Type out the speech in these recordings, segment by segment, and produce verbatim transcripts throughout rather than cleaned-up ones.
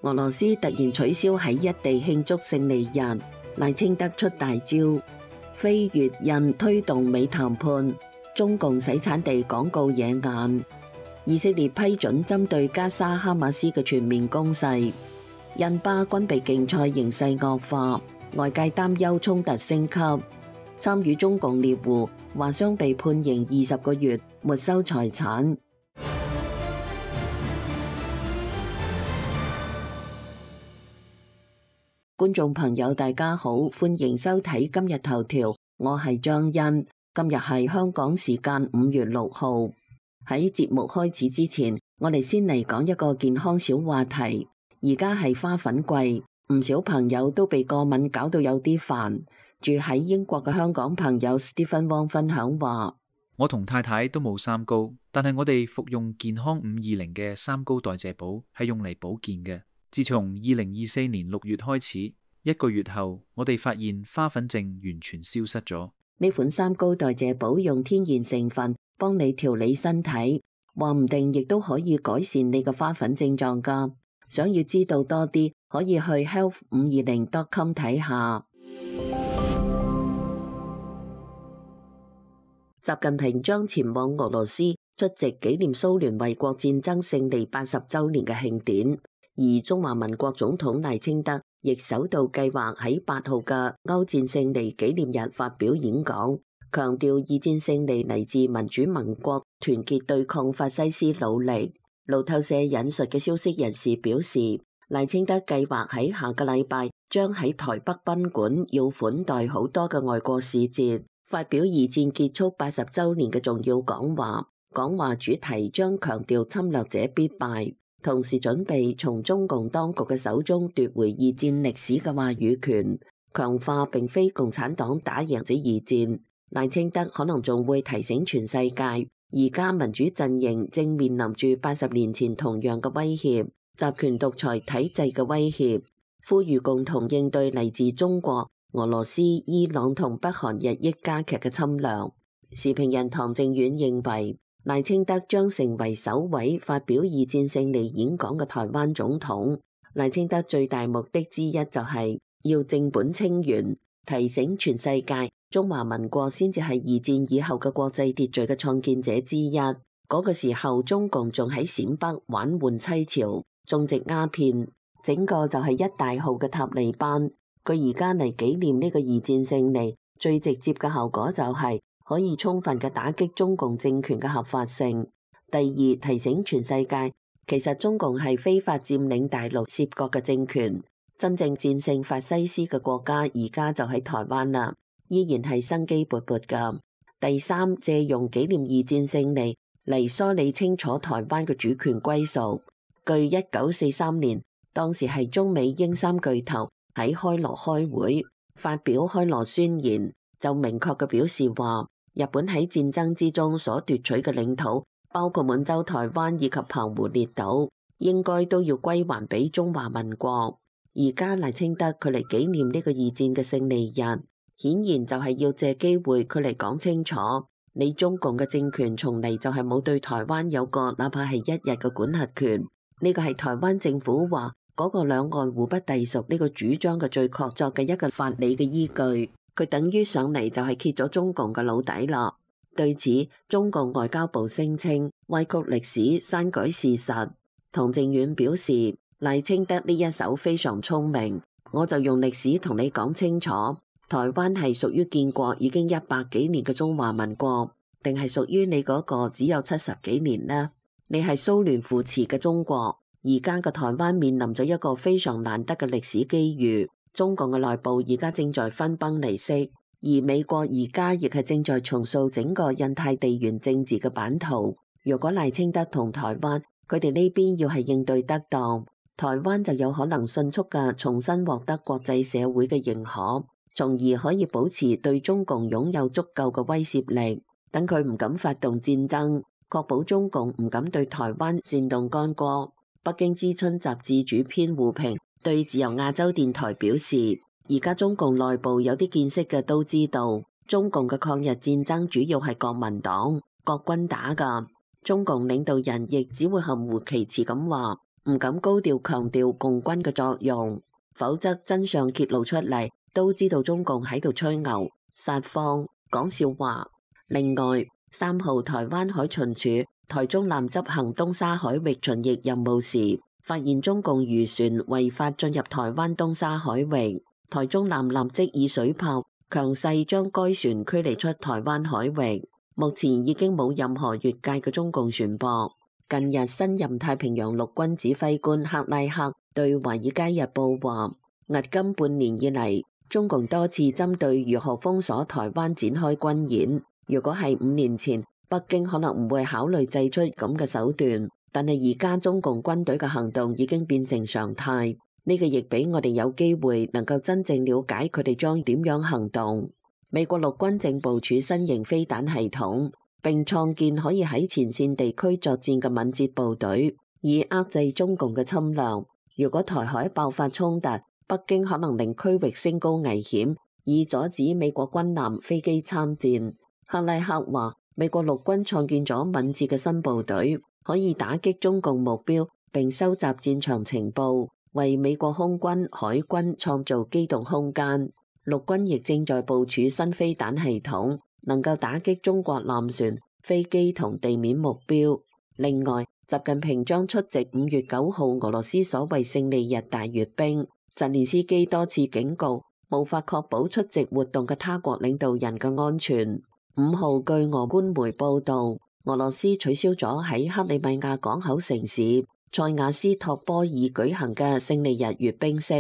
俄羅斯突然取消喺一地慶祝勝利日，賴清德出大招，非越印推動美談判，中共洗產地廣告惹眼，以色列批准針對加沙哈馬斯嘅全面攻勢，印巴軍備競賽形勢惡化，外界擔憂衝突升級，參與中共獵戶華商被判刑二十個月，沒收財產。觀眾朋友大家好，歡迎收睇今日頭條，我係張欣。今日係香港時間五月六號。喺節目開始之前，我哋先嚟講一個健康小話題。而家係花粉季，唔少朋友都被過敏搞到有啲煩。住喺英國嘅香港朋友 Stephen Wong 分享話：我同太太都冇三高，但係我哋服用健康五二零嘅三高代謝寶係用嚟保健嘅。自從二零二四年六月開始，一個月後，我哋發現花粉症完全消失咗。呢款三高代謝寶用天然成分幫你調理身體，話唔定亦都可以改善你嘅花粉症狀㗎。想要知道多啲，可以去 health 五二零 dot com 睇下。習近平將前往俄羅斯出席紀念蘇聯衛國戰爭勝利八十週年嘅慶典。而中華民國總統賴清德亦首度計劃喺八號嘅歐戰勝利紀念日發表演講，強調二戰勝利嚟自民主盟國團結對抗法西斯努力。路透社引述嘅消息人士表示，賴清德計劃喺下個禮拜將喺台北賓館要款待好多嘅外國使節，發表二戰結束八十週年嘅重要講話。講話主題將強調侵略者必敗，同時準備從中共當局嘅手中奪回二戰歷史嘅話語權，強化並非共產黨打贏咗二戰。賴清德可能仲會提醒全世界，而家民主陣營正面臨住八十年前同樣嘅威脅，集權獨裁體制嘅威脅，呼籲共同應對嚟自中國、俄羅斯、伊朗同北韓日益加劇嘅侵略。時評人唐正遠認為，賴清德將成為首位發表二戰勝利演講嘅台灣總統。賴清德最大目的之一就係要正本清源，提醒全世界中華民國先至係二戰以後嘅國際秩序嘅創建者之一。嗰、那個時候中共仲喺陝北玩換妻潮，種植鴉片，整個就係一大號嘅塔利班。佢而家嚟紀念呢個二戰勝利，最直接嘅效果就係、是可以充分嘅打擊中共政權嘅合法性。第二，提醒全世界，其實中共係非法佔領大陸涉國嘅政權，真正戰勝法西斯嘅國家而家就喺台灣啦，依然係生機勃勃噶。第三，借用紀念二戰勝利嚟梳理清楚台灣嘅主權歸屬。據一九四三年，當時係中美英三巨頭喺開羅開會，發表開羅宣言，就明確嘅表示話，日本喺戰爭之中所奪取嘅領土，包括滿洲台灣以及澎湖列島，應該都要歸還俾中華民國。而家賴清德佢嚟紀念呢個二戰嘅勝利日，顯然就係要借機會佢嚟講清楚，你中共嘅政權從嚟就係冇對台灣有過哪怕係一日嘅管轄權。呢個係台灣政府話嗰個兩岸互不隸屬呢個主張嘅最確鑿嘅一個法理嘅依據。佢等於上嚟就係揭咗中共嘅老底啦。對此，中共外交部聲稱歪曲歷史、刪改事實。唐正遠表示，賴清德呢一手非常聰明，我就用歷史同你講清楚，台灣係屬於建國已經一百幾年嘅中華民國，定係屬於你嗰個只有七十幾年呢？你係蘇聯扶持嘅中國，而家嘅台灣面臨咗一個非常難得嘅歷史機遇。中共嘅內部而家正在分崩離析，而美國而家亦係正在重塑整個印太地緣政治嘅版圖。如果賴清德同台灣佢哋呢邊要係應對得當，台灣就有可能迅速嘅重新獲得國際社會嘅認可，從而可以保持對中共擁有足夠嘅威懾力，等佢唔敢發動戰爭，確保中共唔敢對台灣煽動干戈。北京之春雜誌主編胡平對自由亞洲電台表示，而家中共內部有啲見識嘅都知道，中共嘅抗日戰爭主要係國民黨、國軍打㗎。中共領導人亦只會含糊其辭咁話，唔敢高調強調共軍嘅作用，否則真相揭露出嚟，都知道中共喺度吹牛、撒謊、講笑話。另外，三號台灣海巡署台中艦執行東沙海域巡弋任務時，發現中共漁船違法進入台灣東沙海域，台中艦立即以水炮強勢將該船驅離出台灣海域。目前已經冇任何越界嘅中共船舶。近日，新任太平洋陸軍指揮官克拉克對《華爾街日報》話，迄今半年以嚟，中共多次針對如何封鎖台灣展開軍演。如果係五年前，北京可能唔會考慮祭出咁嘅手段，但係而家中共軍隊嘅行動已經變成常態。呢個亦俾我哋有機會能夠真正了解佢哋將點樣行動。美國陸軍正部署新型飛彈系統，並創建可以喺前線地區作戰嘅敏捷部隊，以遏制中共嘅侵略。如果台海爆發衝突，北京可能令區域升高危險，以阻止美國軍艦飛機參戰。克拉克話，美國陸軍創建咗敏捷嘅新部隊，可以打擊中共目標，並收集戰場情報，為美國空軍、海軍創造機動空間。陸軍亦正在部署新飛彈系統，能夠打擊中國艦船、飛機同地面目標。另外，習近平將出席五月九號俄羅斯所謂勝利日大閱兵。澤連斯基多次警告，無法確保出席活動嘅他國領導人嘅安全。五號據俄官媒報道，俄羅斯取消咗喺克里米亞港口城市塞瓦斯托波爾舉行嘅勝利日閱兵式。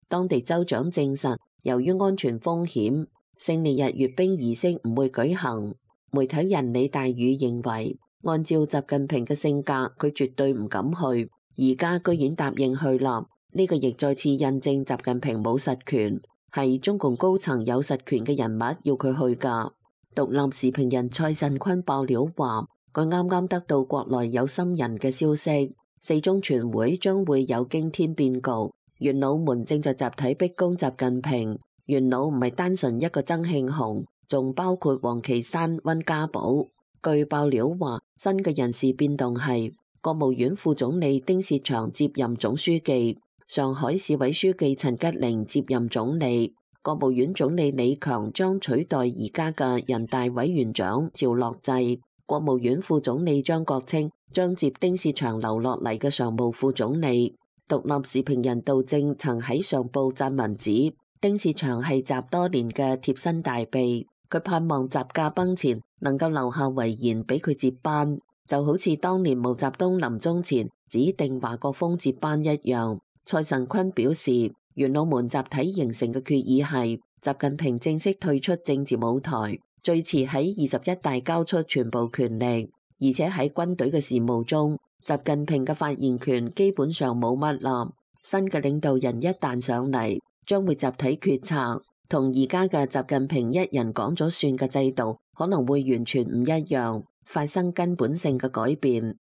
當地州長證實，由於安全風險，勝利日閱兵儀式唔會舉行。媒體人李大宇認為，按照習近平嘅性格，佢絕對唔敢去，而家居然答應去啦。呢個亦再次印證習近平冇實權，係中共高層有實權嘅人物要佢去㗎。獨立時評人蔡慎坤爆料話，佢啱啱得到國內有心人嘅消息，四中全會將會有驚天變局。元老們正在集體逼宮習近平，元老唔係單純一個曾慶紅，仲包括王岐山、溫家寶。據爆料話，新嘅人事變動係國務院副總理丁薛祥接任總書記，上海市委書記陳吉寧接任總理，國務院總理李強將取代而家嘅人大委員長趙樂際，國務院副總理張國清將接丁薛祥留落嚟嘅常務副總理。獨立時評人杜正曾喺上報撰文指，丁薛祥係習多年嘅貼身大秘，佢盼望習駕崩前能夠留下遺言俾佢接班，就好似當年毛澤東臨終前指定華國鋒接班一樣。蔡慎坤表示，元老們集體形成嘅決議係習近平正式退出政治舞台，最遲喺二十一大交出全部權力，而且喺軍隊嘅事務中，習近平嘅發言權基本上冇乜啦。新嘅領導人一旦上嚟，將會集體決策，同而家嘅習近平一人講咗算嘅制度可能會完全唔一樣，發生根本性嘅改變。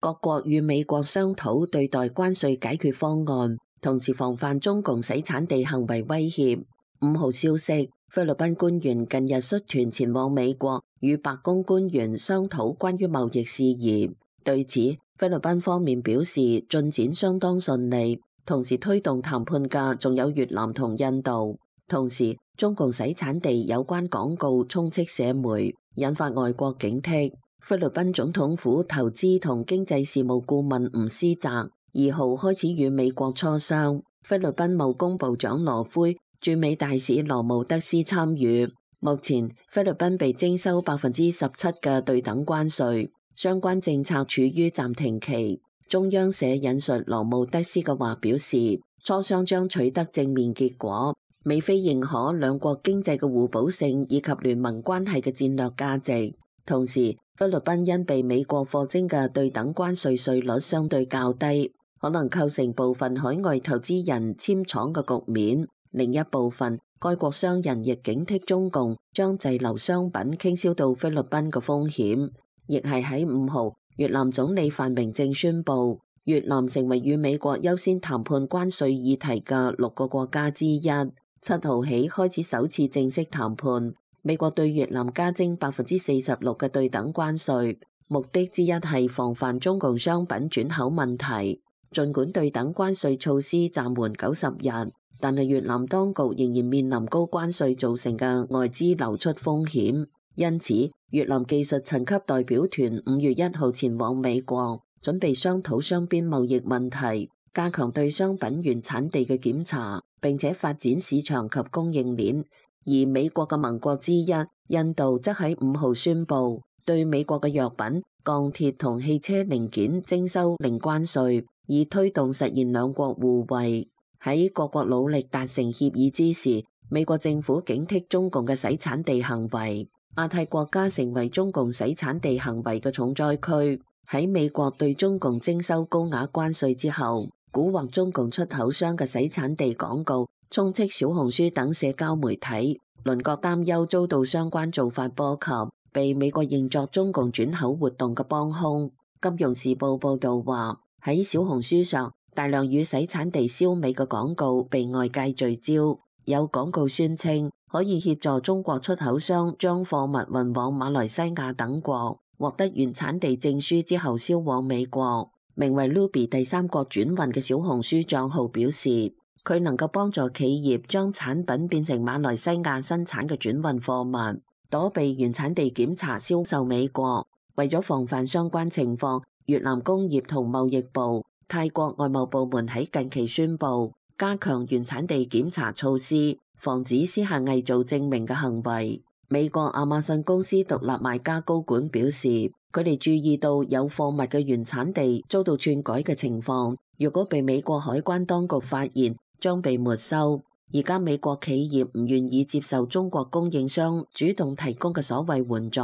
各國與美國商討對待關稅解決方案，同時防範中共洗產地行為威脅。五號消息，菲律賓官員近日率團前往美國，與白宮官員商討關於貿易事宜。對此，菲律賓方面表示進展相當順利，同時推動談判嘅仲有越南同印度。同時，中共洗產地有關廣告充斥社媒，引發外國警惕。菲律賓總統府投資同經濟事務顧問吳思澤二號開始與美國磋商，菲律賓貿工部長羅灰、駐美大使羅姆德斯參與。目前菲律賓被徵收百分之十七嘅對等關稅，相關政策處於暫停期。中央社引述羅姆德斯嘅話表示，磋商將取得正面結果，美菲認可兩國經濟嘅互補性以及聯盟關係嘅戰略價值。同時，菲律賓因被美國課徵嘅對等關稅稅率相對較低，可能構成部分海外投資人遷廠嘅局面。另一部分，該國商人亦警惕中共將滯留商品傾銷到菲律賓嘅風險。亦係喺五號，越南總理范明政宣布，越南成為與美國優先談判關稅議題嘅六個國家之一。七號起開始首次正式談判。美國對越南加徵百分之四十六嘅對等關稅，目的之一係防範中共商品轉口問題。儘管對等關稅措施暫緩九十日，但係越南當局仍然面臨高關稅造成嘅外資流出風險。因此，越南技術層級代表團五月一號前往美國，準備商討雙邊貿易問題，加強對商品原產地嘅檢查，並且發展市場及供應鏈。而美國嘅盟國之一印度則喺五號宣布，對美國嘅藥品、鋼鐵同汽車零件徵收零關稅，以推動實現兩國互惠。喺各國努力達成協議之時，美國政府警惕中共嘅洗產地行為。亞太國家成為中共洗產地行為嘅重災區。喺美國對中共徵收高額關稅之後，蠱惑中共出口商嘅洗產地廣告充斥小紅書等社交媒體。鄰國擔憂遭到相關做法波及，被美國認作中共轉口活動嘅幫兇。金融時報報導話，喺小紅書上，大量與洗產地燒味嘅廣告被外界聚焦，有廣告宣稱可以協助中國出口商將貨物運往馬來西亞等國，獲得原產地證書之後銷往美國。名為 Ruby 第三國轉運嘅小紅書帳號表示，佢能夠幫助企業將產品變成馬來西亞生產嘅轉運貨物，躲避原產地檢查銷售美國。為咗防範相關情況，越南工業同貿易部、泰國外貿部門喺近期宣布加強原產地檢查措施，防止私下偽造證明嘅行為。美國亞馬遜公司獨立賣家高管表示，佢哋注意到有貨物嘅原產地遭到篡改嘅情況，如果被美國海關當局發現，將被沒收。而家美國企業唔願意接受中國供應商主動提供嘅所謂援助，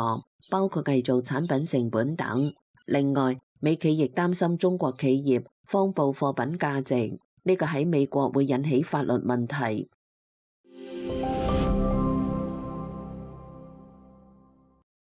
包括偽造產品成本等。另外，美企亦擔心中國企業謊報貨品價值，呢個喺美國會引起法律問題。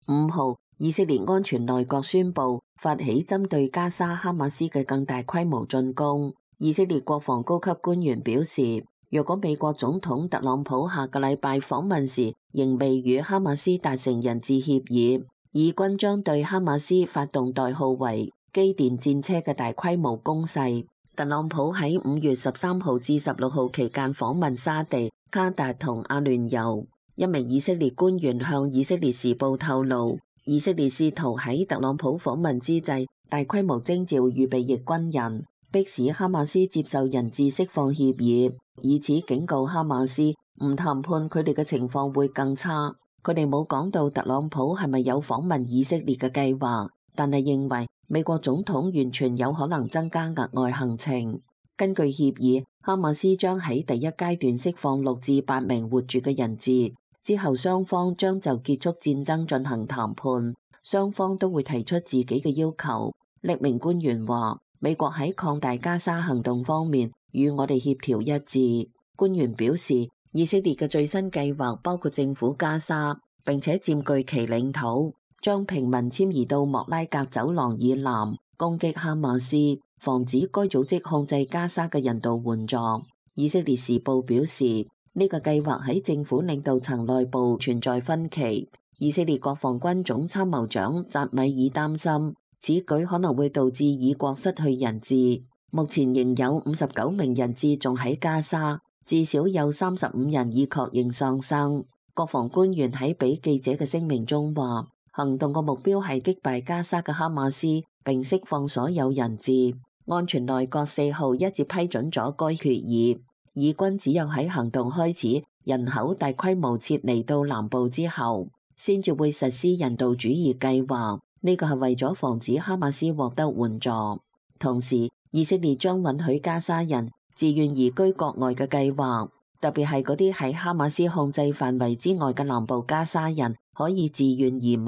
五號，以色列安全內閣宣布發起針對加沙哈馬斯嘅更大規模進攻。以色列國防高級官員表示，若果美國總統特朗普下個禮拜訪問時仍未與哈馬斯達成人質協議，以軍將對哈馬斯發動代號為機電戰車嘅大規模攻勢。特朗普喺五月十三號至十六號期間訪問沙地、卡達同阿聯酋。一名以色列官員向以色列時報透露，以色列試圖喺特朗普訪問之際大規模徵召預備役軍人，迫使哈馬斯接受人質釋放協議，以此警告哈馬斯唔談判佢哋嘅情況會更差。佢哋冇講到特朗普係咪有訪問以色列嘅計劃，但係認為美國總統完全有可能增加額外行程。根據協議，哈馬斯將喺第一階段釋放六至八名活住嘅人質。之後雙方將就結束戰爭進行談判，雙方都會提出自己嘅要求。匿名官員話，美國喺擴大加沙行動方面與我哋協調一致。官員表示，以色列嘅最新計劃包括政府加沙，並且佔據其領土，將平民遷移到莫拉格走廊以南，攻擊哈馬斯，防止該組織控制加沙嘅人道援助。以色列時報表示，呢個計劃喺政府領導層內部存在分歧。以色列國防軍總參謀長扎米爾擔心，此舉可能會導致以國失去人質。目前仍有五十九名人質仲喺加沙，至少有三十五人已確認喪生。國防官員喺俾記者嘅聲明中話，行動嘅目標係擊敗加沙嘅哈馬斯，並釋放所有人質。安全內閣四號一致批准咗該決議。以軍只有喺行動開始，人口大規模撤離到南部之後，先至會實施人道主義計劃。呢個係為咗防止哈馬斯獲得援助。同時，以色列將允許加沙人自願移居國外嘅計劃，特別係嗰啲喺哈馬斯控制範圍之外嘅南部加沙人可以自願移民。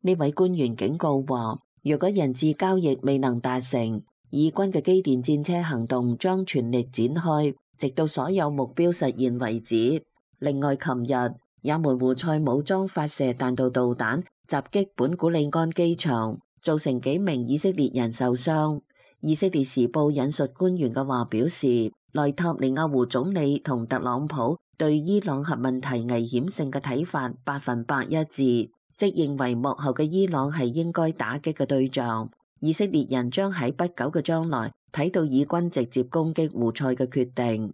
呢位官員警告話，若果人質交易未能達成，以軍嘅機電戰車行動將全力展開，直到所有目標實現為止。另外，琴日也門胡塞武裝發射彈道導彈襲擊本古里安機場，造成幾名以色列人受傷。以色列時報引述官員嘅話表示，內塔尼亞胡總理同特朗普對伊朗核問題危險性嘅睇法百分百一致，即認為幕後嘅伊朗係應該打擊嘅對象。以色列人將喺不久嘅將來睇到以軍直接攻擊胡塞嘅決定。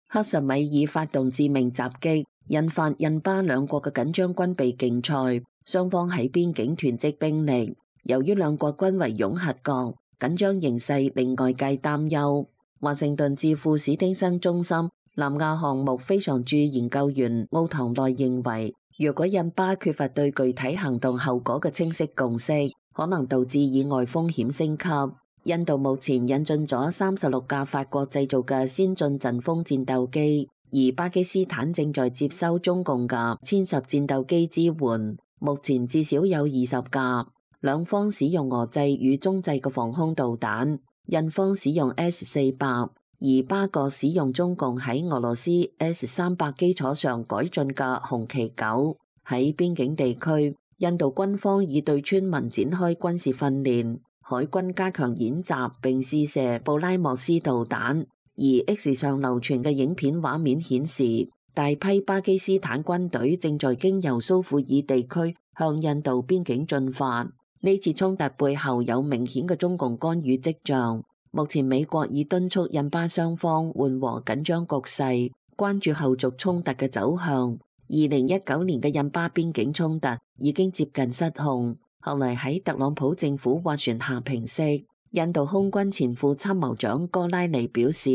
克什米爾發動致命襲擊，引發印巴兩國嘅緊張軍備競賽，雙方喺邊境囤積兵力。由於兩國均為擁核國，緊張形勢令外界擔憂。華盛頓智庫史丁生中心南亞項目非常駐研究員奧唐內認為，如果印巴缺乏對具體行動後果嘅清晰共識，可能導致意外風險升級。印度目前引進咗三十六架法國製造嘅先進陣風戰鬥機，而巴基斯坦正在接收中共嘅殲十戰鬥機支援，目前至少有二十架。兩方使用俄製與中製嘅防空導彈，印方使用 S 四百，而巴國使用中共喺俄羅斯 S 三百基礎上改進嘅紅旗九。喺邊境地區，印度軍方已對村民展開軍事訓練，海軍加強演習並試射布拉莫斯導彈，而 X 上流傳嘅影片畫面顯示，大批巴基斯坦軍隊正在經由蘇庫爾地區向印度邊境進發。呢次衝突背後有明顯嘅中共干預跡象。目前美國已敦促印巴雙方緩和緊張局勢，關注後續衝突嘅走向。二零一九年嘅印巴邊境衝突已經接近失控，後嚟喺特朗普政府斡旋下平息。印度空軍前副參謀長哥拉尼表示，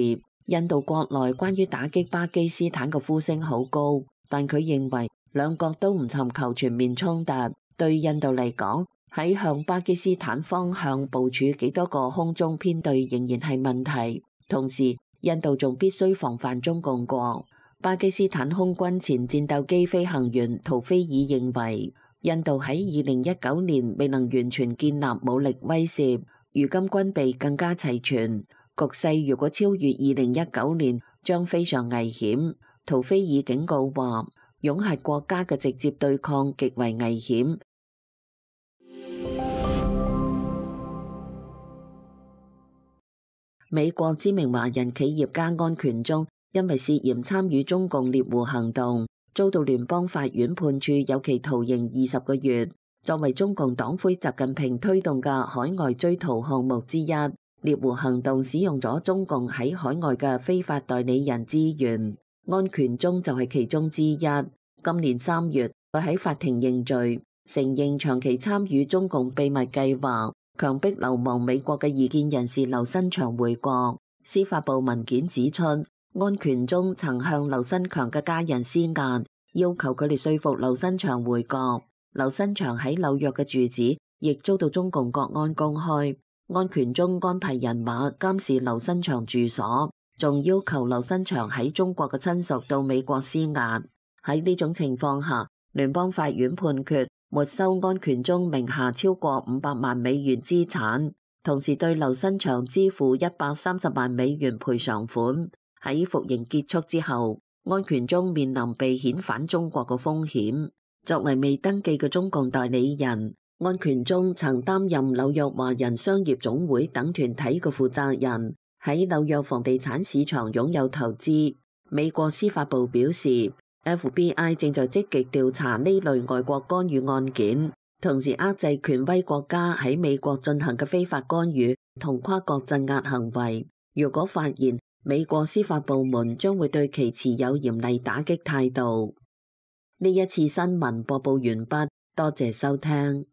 印度國內關於打擊巴基斯坦嘅呼聲好高，但佢認為兩國都唔尋求全面衝突。對印度嚟講，喺向巴基斯坦方向部署幾多個空中編隊仍然係問題，同時印度仲必須防範中共國。巴基斯坦空軍前戰鬥機飛行員圖菲爾認為，印度喺二零一九年未能完全建立武力威懾，如今軍備更加齊全，局勢如果超越二零一九年，將非常危險。圖菲爾警告話，擁核國家嘅直接對抗極為危險。美國知名華人企業家安權忠因為涉嫌參與中共獵狐行動，遭到聯邦法院判處有期徒刑二十個月。作為中共黨魁習近平推動嘅海外追逃項目之一，獵狐行動使用咗中共喺海外嘅非法代理人資源，安權忠就係其中之一。今年三月，佢喺法庭認罪，承認長期參與中共秘密計劃，強迫流亡美國嘅異見人士劉新祥回國。司法部文件指出，安權忠曾向劉新強嘅家人施壓，要求佢哋說服劉新祥回國。劉新祥喺紐約嘅住址亦遭到中共國安公開，安權忠安排人馬監視劉新祥住所，仲要求劉新祥喺中國嘅親屬到美國施壓。喺呢種情況下，聯邦法院判決沒收安權忠名下超過五百萬美元資產，同時對劉新祥支付一百三十萬美元賠償款。喺服刑結束之後，安權忠面臨被遣返中國嘅風險。作為未登記嘅中共代理人，安權忠曾擔任紐約華人商業總會等團體嘅負責人，喺紐約房地產市場擁有投資。美國司法部表示，F B I 正在積極調查呢類外國干預案件，同時遏制權威國家喺美國進行嘅非法干預同跨國鎮壓行為。如果發現，美國司法部門將會對其持有嚴厲打擊態度。呢一次新聞播報完畢，多謝收聽。